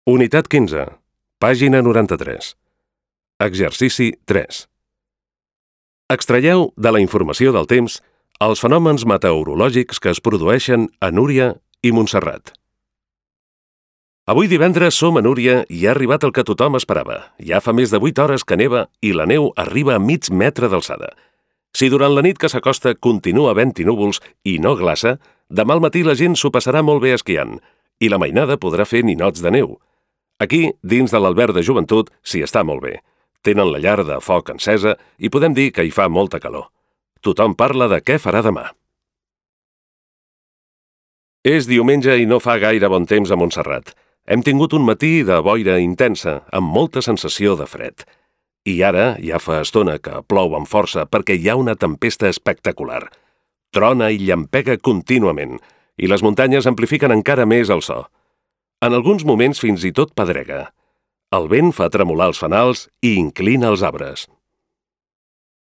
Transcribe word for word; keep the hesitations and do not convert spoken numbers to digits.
Unitat quinze, pàgina noranta-tres. Exercici tres. Extraieu de la informació del temps els fenòmens meteorològics que es produeixen a Núria i Montserrat. Avui divendres som a Núria i ha arribat el que tothom esperava. Ja fa més de vuit hores que neva i la neu arriba a mig metre d'alçada. Si durant la nit que s'acosta continua havent-hi núvols i no glaça, demà al matí la gent s'ho passarà molt bé esquiant i la mainada podrà fer ninots de neu. Aquí, dins de l'alberg de joventut, s'hi està molt bé. Tenen la llar de foc encesa i podem dir que hi fa molta calor. Tothom parla de què farà demà. És diumenge i no fa gaire bon temps a Montserrat. Hem tingut un matí de boira intensa, amb molta sensació de fred. I ara ja fa estona que plou amb força perquè hi ha una tempesta espectacular. Trona i llampega contínuament, i les muntanyes amplifiquen encara més el so. En alguns moments fins i tot pedrega. El vent fa tremolar els fanals i inclina els arbres.